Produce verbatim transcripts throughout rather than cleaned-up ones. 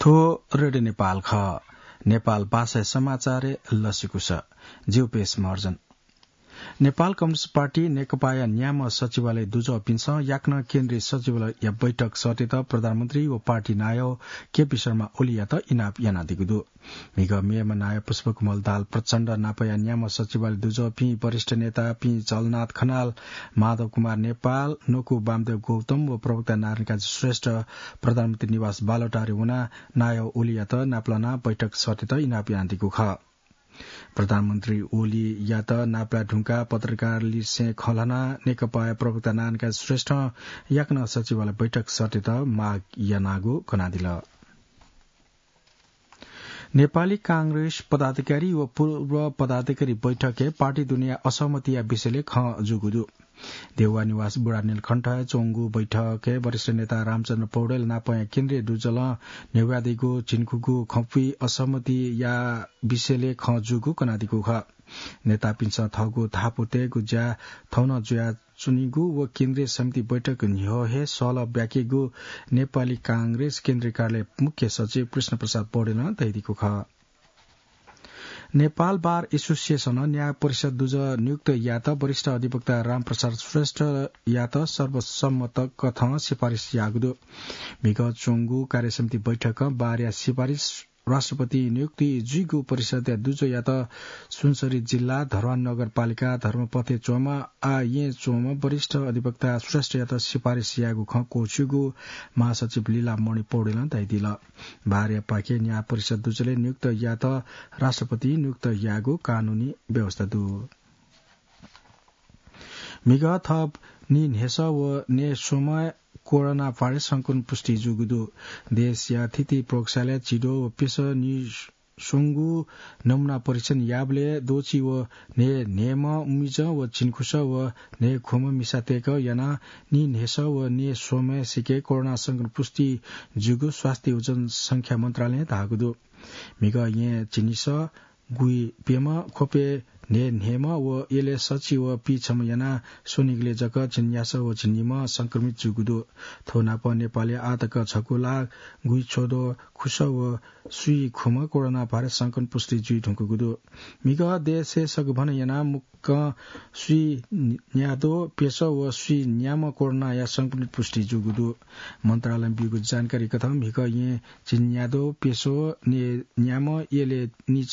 थ्व रेडियो नेपाल खः। नेपाल भाषाया समाचारय् लसिकुस। ज्यू पेश महर्जन। नेपाल कम्युनिस्ट पार्टी नेकपाया न्याम्ह सचिवालय दुजःपिन्सं याकनं केन्द्रीय सचिवालयया बैठक सःतेत प्रधानमन्त्री व पार्टी नायः केपी शर्मा ओलीयात इनाप यानादीगु दु। म्हिगः मेम्ह नायः पुष्पकमल दाहाल प्रचण्ड नापया न्याम्ह सचिवालय दुजःपिं वरिष्ठ नेतापिं झलनाथ खनाल, माधव कुमार नेपाल, नकु वामदेव गौतम व प्रवक्ता नारायणकाजी श्रेष्ठ प्रधानमन्त्री निवास बालुवाटारय् वनाः नायः ओलीयात नापलानाः बैठक सःतेत इनाप यानादीगु खः। प्रधानमन्त्री ओलीयात नापलाये धुंकाः पत्रकारलिसें खँ ल्हानाः नेकपाया प्रवक्ता नारायणकाजी श्रेष्ठं याकनं सचिवालय बैठक सःतेत माग यानागु कनादिल। नेपाली कांग्रेस पदाधिकारी व पूर्व पदाधिकारी बैठकय् पार्टी दुनेया असहमतिया विषयलय् खँ जूगु दु। देउवा निवास बुढा नीलकण्ठय् च्वंगु बैठकय् वरिष्ठ नेता रामचन्द्र पौडेल नापया केन्द्रीय दुजलं न्ह्यब्वयादीगु झिंखुगू खँपुइ असहमतिया विषयलय् खँ जूगु कनादीगु खः। नेतापिन्सं थःगु थापुतय्गु ज्या थौं नं जुयाच्वनीगु व केन्द्रीय समिति बैठक न्ह्यः हे सहलह ब्याकेगु नेपाली कांग्रेस केन्द्रीय कार्यालय मुख्य सचिव कृष्ण प्रसाद पौडेलं धयादीगु खः। नेपाल बार एसोसिएसनं न्याय परिषद दुजः नियुक्त यायेत वरिष्ठ अधिवक्ता रामप्रसाद श्रेष्ठयात सर्वसम्मत कथं सिफारिस याःगु दु। म्हिगः च्वंगु कार्यसमिति बैठकं बारया सिफारिस राष्ट्रपति नियुक्ति जुइगु परिषदया दुजःयात सुनसरी जिल्ला, धरोहर नगरपालिका, धर्मपथय् च्वंम्ह आः येँय् च्वंम्ह वरिष्ठ अधिवक्ता श्रेष्ठयात सिफारिस यायेगु खँ क्वःछिउगु महासचिव लीलामणि पौडेलं धयादिल। बारयापाखें न्याय परिषद दुजलय् नियुक्त यायेत राष्ट्रपति नियुक्त यायेगु कानूनी व्यवस्था दु। म्हिगः थप नीन्हय्‌सः व नयेस्वम्ह कोरोना भाइरस संक्रमण पुष्टि जूगु दु। देशया थीथी प्रयोगशालाय् झिद्वः व प्यसः नीस्वंगू नमूना परीक्षण याःबलय् द्वःछि व नयेन्हय्‌म्ह उमिजं व झिंखुसः व नयेख्वम्ह मिसातय्‌के यानाः नीन्हय्‌सः व नयेस्वम्हय्‌सिके कोरोना संक्रमण पुष्टि जूगु स्वास्थ्य व जनसंख्या मन्त्रालयं धाःगु दु। म्हिगः येँय् झिंनिसः गुइप्यम्ह, ख्वपय् नयेन्हय्‌म्ह व यलय् सछि व पीछम्ह यानाः स्वनिगलय् जक झिंन्यासः व झिंनिम्ह संक्रमित जूगु दु। थ्व नाप नेपालय् आःतक झक्व लाख गुइछ्वद्वः खुसः व स्वीख्वम्ह कोरोना भाइरस संक्रमण पुष्टि जुइधुंकूगु दु। म्हिगः देशय् सगभनं यानाः मुक्कं स्वीन्याद्वः प्यसः व स्वीन्याम्ह कोरोनाया संक्रमित पुष्टि जूगु दु। मन्त्रालयं ब्यूगु जानकारी कथं म्हिगः येँय् झिंन्याद्वः प्यसः, नयेन्याम्ह, यलय् नि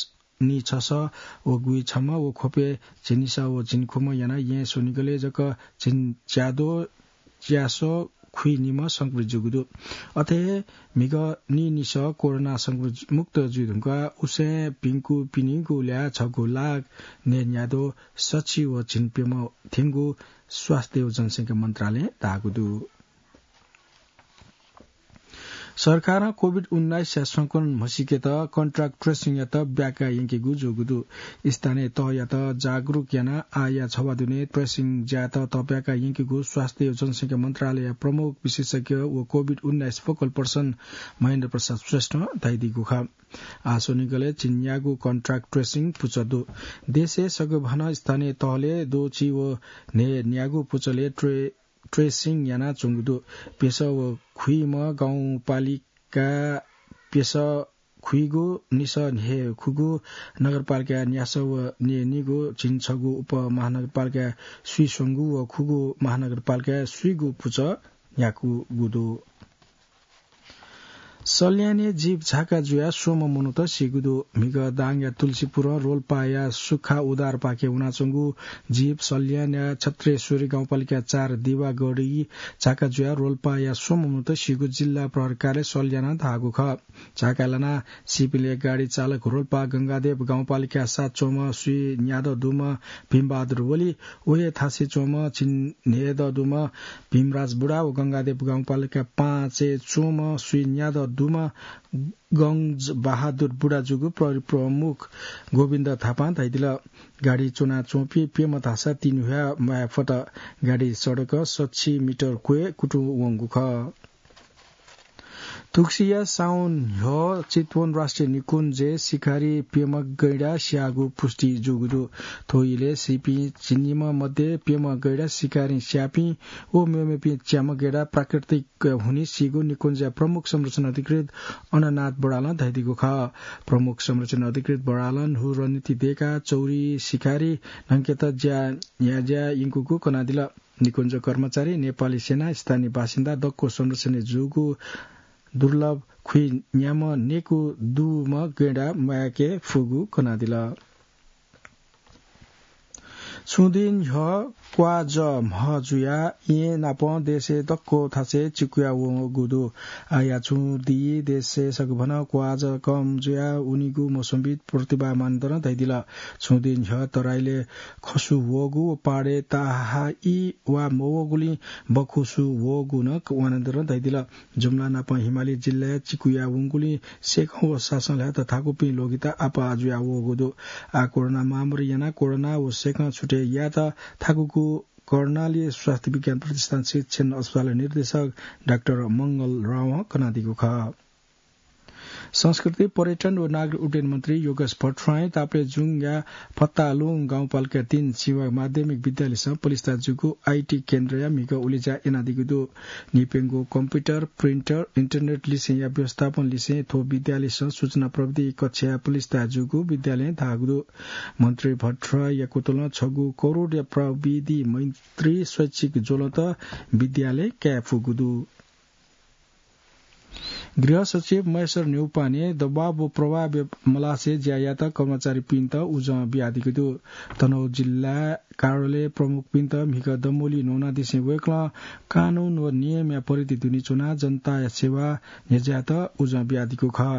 नीछसः व गुइछम्ह व ख्वपय् झिंनिसः व झिंख्वम्ह यानाः येँय् स्वनिगलय् जक झिंच्याद्वः च्यासः खुइनिम्ह संक्रमित जूगु दु। अथे हे म्हिगः नीनिसः कोरोना संक्रमित मुक्त जुइधुंकाः उसें भिंकूपिनिगु ल्याः झक्व लाख नयेन्याद्वः सछि व झिंप्यम्ह थ्यंगु स्वास्थ्य व जनसंख्या मन्त्रालयं धाःगु दु। सरकारं कोभिड उन्नाइसया संक्रमण म्हसीकेत contact tracing-यात ब्याका यंकेगु जूगु दु। स्थानीय तहयात जागरुक यानाः आःया छवाः दुने tracing ज्यायात तब्याका यंकेगु स्वास्थ्य व जनसंख्या मन्त्रालयया प्रमुख विशेषज्ञ व कोभिड उन्नाइस focal person महेन्द्र प्रसाद श्रेष्ठं धयादीगु खः। आः स्वनिगलय् झिंन्यागू contact tracing पुचः दु। देशय् सगभनं स्थानीय तहलय् द्वःछि व नयेन्यागू पुचलय् ट्रे tracing यानाच्वंगु दु। प्यसः व खुइम्ह गाउँपालिका प्यसः खुइगु, निसः न्हय् खुगू, नगरपालिका न्यासः व नयेनिगू, झिंछगू उपमहानगरपालिका स्वीस्वंगू व खुगू महानगरपालिका स्वीगू पुचः न्याकूगु दु। सल्यानय् जीप झाका जुयाः स्वम्ह मनूत सीगु दु। म्हिगः दाङया तुलसीपुरं रोल्पाया सुखा उद्धारपाखे वनाच्वंगु जीप सल्यानया छत्रेश्वरी गाउँपालिका चार दिवागढी झाका जुयाः रोल्पाया स्वम्ह मनूत सीगु जिल्ला प्रहरी कार्यालय सल्यानं धाःगु खः। झाका लानाः सीपिंलय् गाडी चालक रोल्पा गंगादेव गाउँपालिका सात च्वंम्ह स्वीन्यादँ दुम्ह भीमबहादुर ओली, व हे थासय् च्वंम्ह झिंन्हय्‌दँ दुम्ह भीमराज बुढा व गंगादेव गाउँपालिका पाँचय् च्वंम्ह स्वीन्यादँ दुम्ह गंज बहादुर बुढा जूगु प्रहरी प्रमुख गोविन्द थापां धयादिल। गाडी च्वनाच्वंपिं प्यम्ह धाःसा तिनि ह्वाये मफत। गाडी सडक सछि मिटर क्वय् कुतुं वंगु खः। थुगुसिया साउन न्ह्यः चितवन राष्ट्रिय निकुञ्जय् सिकारी प्यम्ह गैंडा स्याःगु पुष्टि जूगु दु। थ्व इलय् सीपिं झिंनिम्ह मध्ये प्यम्ह गैंडा सिकारीं स्याःपिं व मेमेपिं च्याम्ह गैंडा प्राकृतिक हुनिं सीगु निकुञ्जया प्रमुख संरक्षण अधिकृत अननाथ बडालं धयादीगु खः। प्रमुख संरक्षण अधिकृत बडालं न्हू रणनीति दय्काः चौरी सिकारी न्हंकेत ज्या न्ह्याज्या यंकूगु कनादिल। निकुञ्ज कर्मचारी, नेपाली सेना, स्थानीय बासिन्दा दक्व संरक्षणय् जूगु दुर्लभ खुइन्याम्ह नेकू दुम्ह गैंडा म्वायेके फुगु कनादिल। छुं दिं न्ह्यः क्वाज म्ह जुयाः येँ नाप देशय् दक्व थासय् चिकुया वंगु दु। आःया छुं दिं देशय् सगभनं क्वाज कम जुयाः वनीगु मौसमविद प्रतिभा मानन्धरं धयादिल। छुं दिं न्ह्यः तराईलय् खसु वःगु व पहाडय् ताहाई वा मवःगुलिं बखुसु वःगु नं मानन्धरं धयादिल। जुम्ला नाप हिमाली जिल्लाय् चिकुया वंगुलिं सेकं व सासं ल्हायेत थाकुपिं ल्वगित आपाः जुया वःगु दु। आः कोरोना महामारी यानाः कोरोना व सेकं छुटे यायेत थाकुगु कर्णाली स्वास्थ्य विज्ञान प्रतिष्ठान शिक्षण अस्पताल निर्देशक डाक्टर मंगल रावं कनादीगु खः। संस्कृति, पर्यटन व नागरिक उड्डयन मन्त्री योगेश भट्टराईं ताप्लेजुङया फत्तालुङ गाउँपालिका तीन सीमा माध्यमिक विद्यालयसं पलिस्था जूगु आईटी केन्द्रया म्हिगः उलेज्या यानादीगु दु। निपेंगु कम्प्युटर, प्रिन्टर, इन्टरनेट लिसेंया व्यवस्थापन लिसें थ्व विद्यालयसं सूचना प्रविधि कक्षाया पलिस्था जूगु विद्यालयं धाःगु दु। मन्त्री भट्टराईया कुतलं छगू करोडया प्रविधि मैत्री शैक्षिक ज्वलंत विद्यालय काये फुगु दु। गृह सचिव महेश्वर न्यौपाने दबाव व प्रभाव मलासे ज्या यात कर्मचारीपिन्त उजं बियादीगु दु। तनहुँ जिल्ला कार्यालय प्रमुखपिन्त म्हिगः दमोली न्वनादिसें वय्कलं कानून व नियमया परिधि दुने च्वनाः जनताया सेवा न्ह्यज्यायेत उजं बियादीगु खः।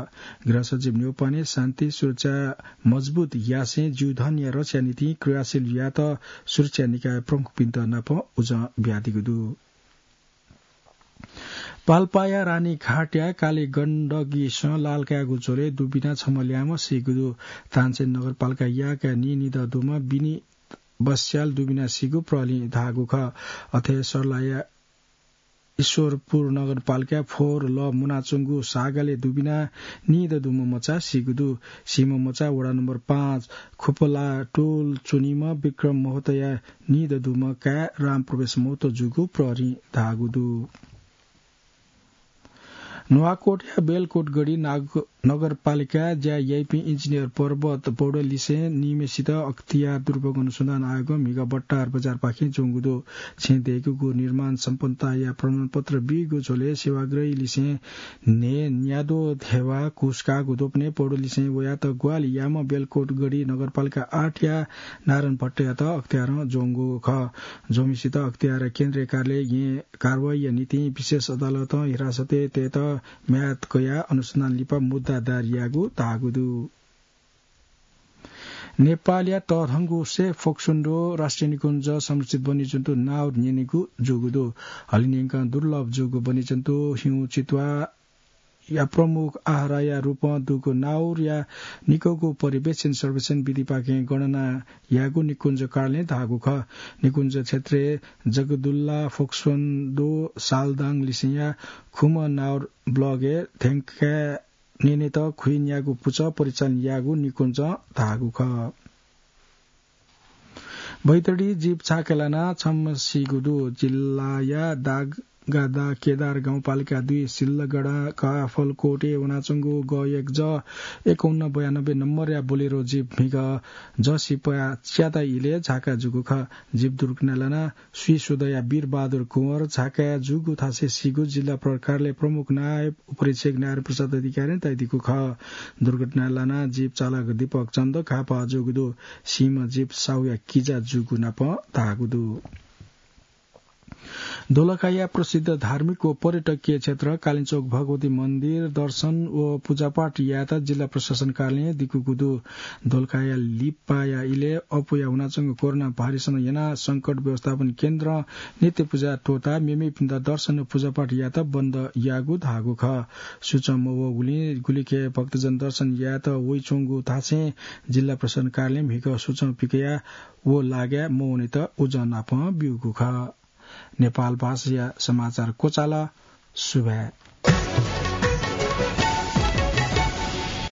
गृह सचिव न्यौपाने शान्ति सुरक्षा मजबुत यासें जीवधनया रक्षाया निंतिं क्रियाशील यायेत सुरक्षा निकाय प्रमुखपिन्त नाप उजं बियादीगु दु। पाल्पाया रानीघाटया काली गण्डकीसं लाल कायेगु झ्वलय् दुबिना छम्ह ल्याय्म्ह सीगु दु। तानसेन नगरपालिका याकया नीनिदँ दुम्ह बिनी बस्याल दुबिना सीगु प्रहरीं धाःगु खः। अथे सर्लाया ईश्वरपुर नगरपालिका फोहोर लः मुनाच्वंगु सागालय् दुबिना नीदँ दुम्ह मचा सीगु दु। सीम्ह मचा वडा नम्बर पाँच खुपलाटोल च्वनीम्ह विक्रम महतोया नीदँ दुम्ह काय् रामप्रवेश महतो जूगु प्रहरीं धाःगु दु। नुवाकोटया बेलकोटगढी नाग-, नगरपालिकाय् ज्या याइपिं इन्जिनियर पर्वत पौडेललिसें निम्हेसित अख्तियार दुरुपयोग अनुसन्धान आयोगं म्हिगः बट्टार बजारपाखें ज्वंगु दु। छेँ दय्कूगु निर्माण सम्पन्नताया प्रमाणपत्र बीगु झ्वलय् सेवाग्रहीलिसें न्हय् न्याद्वः धेवा घुस काःगु द्वपनय् पौडेललिसें वयात ग्वाहालि याःम्ह बेलकोटगढी नगरपालिका आठया नारायण भट्टयात अख्तियारं ज्वंगु खः। ज्वंम्हेसित अख्तियार केन्द्रीय कार्यालयं कारवाहीया निंतिं विशेष अदालतं हिरासतय् तयेत म्याद कयाः अनुसन्धान लिपा मुद्दा दायर याःगु धाःगु दु। नेपालया तःधंगु सेफ फोक्सोन्डो राष्ट्रिय निकुञ्ज संरक्षित वन्यजन्तु नाउर न्यनेगु जूगु दु। हलिंन्यंकं दुर्लभ जूगु वन्यजन्तु हिउँ चितुवा या प्रमुख आहारया रूपं दुगु नाउरया निकःगु पर्यवेक्षण सर्वेक्षण विधिपाखें गणना यायेगु निकुञ्ज कार्यालयं धाःगु खः। निकुञ्ज क्षेत्रय् जगदुल्ला, फोक्सोन्डो, सालदाङ लिसेंया खुम्ह नाउर ब्लगय् थ्यंकाः न्यनेत खुइन्यागू पुचः परिचालन याःगु निकुञ्जं धाःगु खः। बैतडी जीप छाकय् लानाः छम्ह सीगु दु। जिल्लाया दागगादा केदार गाउँपालिका दुई सिल्लगढा काफलकोटय् वनाच्वंगु ग एक ज एकाउन्न बयानब्बे नम्बरया बोलेरो जीप म्हिगः जःसिपा च्याता इलय् झाका जूगु खः। जीप दुर्घटना लानाः स्वीसुदँया वीरबहादुर कुँवर झाकाय् जूगु थासय् सीगु जिल्ला प्रहरी कार्यालय प्रमुख नायब उपरीक्षक नारायण प्रसाद अधिकारीं धयादीगु खः। दुर्घटना लानाः जीप चालक दीपक चन्द घाःपाः जूगु दु। सीम्ह जीप साहुया किजा जूगु नाप धाःगु दु। दोलखाया प्रसिद्ध धार्मिक व पर्यटकीय क्षेत्र कालिचोक भगवती मन्दिर दर्शन व पूजापाठ यायेत जिल्ला प्रशासन कार्यालयं दिकूगु दु। दोलखाया लिपाया इलय् अप्वया वनाच्वंगु कोरोना भाइरसं यानाः संकट व्यवस्थापन केन्द्रं नित्य पूजा त्वःताः मेमेपिन्त दर्शन व पूजापाठ यायेत बन्द याःगु धाःगु खः। सूचं मवःगुलिं गुलिखे भक्तजन दर्शन यायेत वइच्वंगु धासें जिल्ला प्रशासन कार्यालयं म्हिगः सूचं पिकयाः व लागाय् मवनेत उजं नापं ब्यूगु खः। नेपाल भाषाया समाचार क्वचाल। सुभाय्।